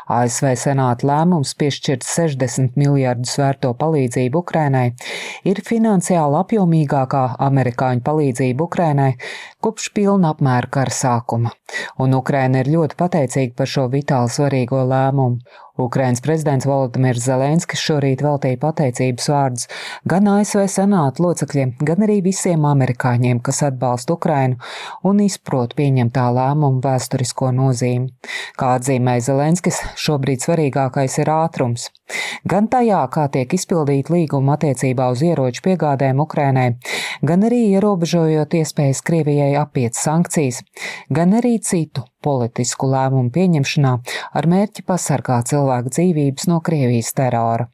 ASV Senāta lēmums piešķirt 60 miljardus vērto palīdzību Ukrainai ir finansiāli apjomīgākā amerikāņu palīdzība Ukrainai kopš pilna apmēra kara sākuma, un Ukraina ir ļoti pateicīga par šo vitāli svarīgo lēmumu. Ukrainas prezidents Volodimirs Zelenskis šorīt veltīja pateicības vārdus gan ASV Senāta locekļiem, gan arī visiem amerikāņiem, kas atbalsta Ukrainu un izprot pieņemtā lēmuma vēsturisko nozīmi. Kā atzīmēja Zelenskis, šobrīd svarīgākais ir ātrums. Gan tajā, kā tiek izpildīt līguma attiecībā uz ieroču piegādēm Ukrainai, gan arī ierobežojot iespējas Krievijai apiet sankcijas, gan arī citu politisku lēmumu pieņemšanā ar mērķi pasargāt cilvēku dzīvības no Krievijas terora.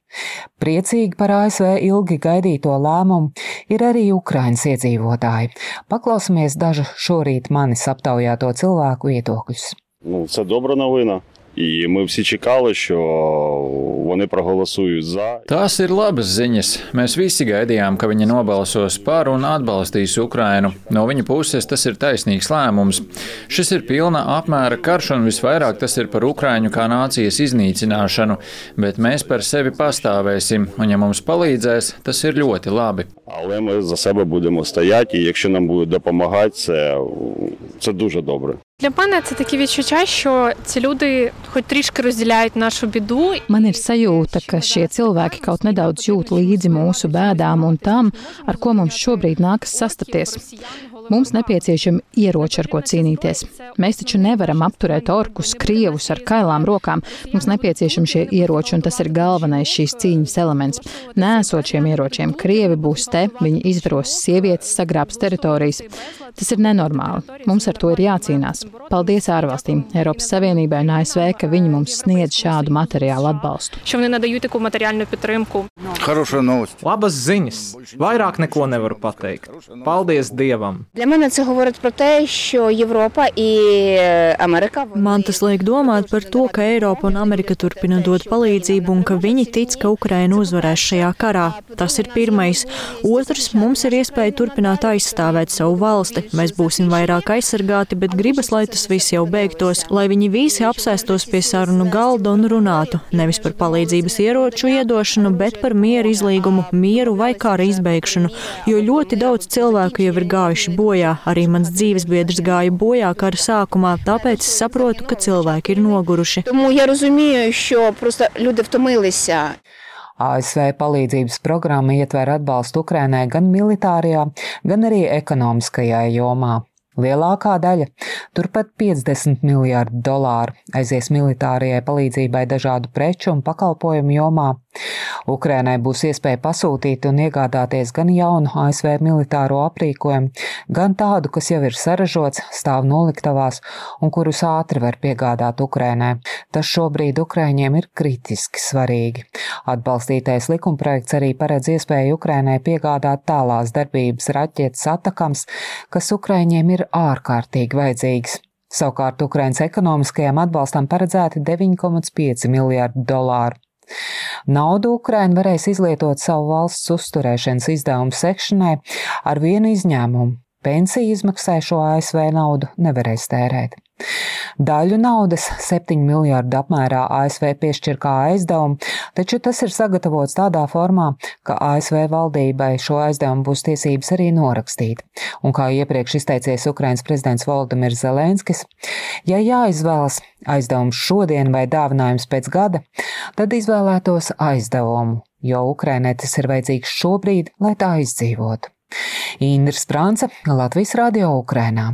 Priecīgi par ASV ilgi gaidīto lēmumu ir arī Ukrainas iedzīvotāji. Paklausamies dažu šorīt manis aptaujāto cilvēku viedokļus. Це добра новина. І ми всі чекали, що вони проголосують за. Tās ir labas ziņas. Mēs visi gaidījām, ka viņi nobalsos par un atbalstīs Ukrainu. No viņa puses tas ir taisnīgs lēmums. Šis ir pilna apmēra karš un visvairāk tas ir par Ukraiņu kā nācijas iznīcināšanu, bet mēs par sevi pastāvēsim, un ja mums palīdzēs, tas ir ļoti labi. Але ми за себе будемо стояти, і якщо нам будуть допомагати, це дуже добре. Для мене це такі відчуття, що ці люди хоч трішки розділяють нашу біду. Man ir sajūta, ka šie cilvēki kaut nedaudz jūt līdzi mūsu bēdām un tam, ar ko mums šobrīd nākas sastapties. Mums nepieciešami ieroči, ar ko cīnīties. Mēs taču nevaram apturēt orkus, krievus ar kailām rokām. Mums nepieciešami šie ieroči, un tas ir galvenais šīs cīņas elements. Nesot šiem ieročiem, krievi būs te, viņi izvaros sievietes, sagrābs teritorijas. Tas ir nenormāli. Mums ar to ir jācīnās. Paldies ārvalstīm, Eiropas Savienībai un ASV, ka viņi mums sniedz šādu materiālu atbalstu. Що вони надають таку матеріальну підтримку. Labas ziņas. Vairāk neko nevaru pateikt. Paldies Dievam. Для мене це говорить про те, що Європа і Америка... Man tas liek domāt par to, ka Eiropa un Amerika turpina dot palīdzību un ka viņi tic, ka Ukraina uzvarēs šajā karā. Tas ir pirmais. Otrs, mums ir iespēja turpināt aizstāvēt savu valsti. Mēs būsim vairāk aizsargāti, bet gribas, lai tas viss jau beigtos, lai viņi visi apsēstos pie sarunu galda un runātu. Nevis par palīdzības ieroču iedošanu, bet par mieru izlīgumu, mieru vai kara izbeigšanu, jo ļoti daudz cilvēku jau ir gājuši bojā. Arī mans dzīvesbiedrs gāja bojā kara sākumā, tāpēc es saprotu, ka cilvēki ir noguruši. Тому я розумію, що просто люди втомилися. ASV palīdzības programma ietver atbalstu Ukrainai gan militārajā, gan arī ekonomiskajā jomā. Lielākā daļa, turpat $50 miljārdu, aizies militārajai palīdzībai dažādu preču un pakalpojumu jomā. Ukrainai būs iespēja pasūtīt un iegādāties gan jaunu ASV militāro aprīkojumu, gan tādu, kas jau ir saražots, stāv noliktavās un kurus ātri var piegādāt Ukrainai. Tas šobrīd Ukraiņiem ir kritiski svarīgi. Atbalstītais likumprojekts arī paredz iespēju Ukrainai piegādāt tālās darbības raķetes Atakams, kas Ukraiņiem ir ārkārtīgi vajadzīgs. Savukārt Ukrainas ekonomiskajam atbalstam paredzēti $9,5 miljārdu. Naudu Ukraina varēs izlietot savu valsts uzturēšanas izdevumu sekšanai ar vienu izņēmumu. Pensiju izmaksājušo ASV naudu nevarēs tērēt. Daļu naudas, 7 miljārdu apmērā, ASV piešķir kā aizdevumu, taču tas ir sagatavots tādā formā, ka ASV valdībai šo aizdevumu būs tiesības arī norakstīt. Un kā iepriekš izteicies Ukrainas prezidents Volodimirs Zelenskis, ja jāizvēlas aizdevums šodien vai dāvinājums pēc gada, tad izvēlētos aizdevumu, jo Ukrainai tas ir vajadzīgs šobrīd, lai tā izdzīvotu. Indra Sprānce, Latvijas Radio Ukrainā.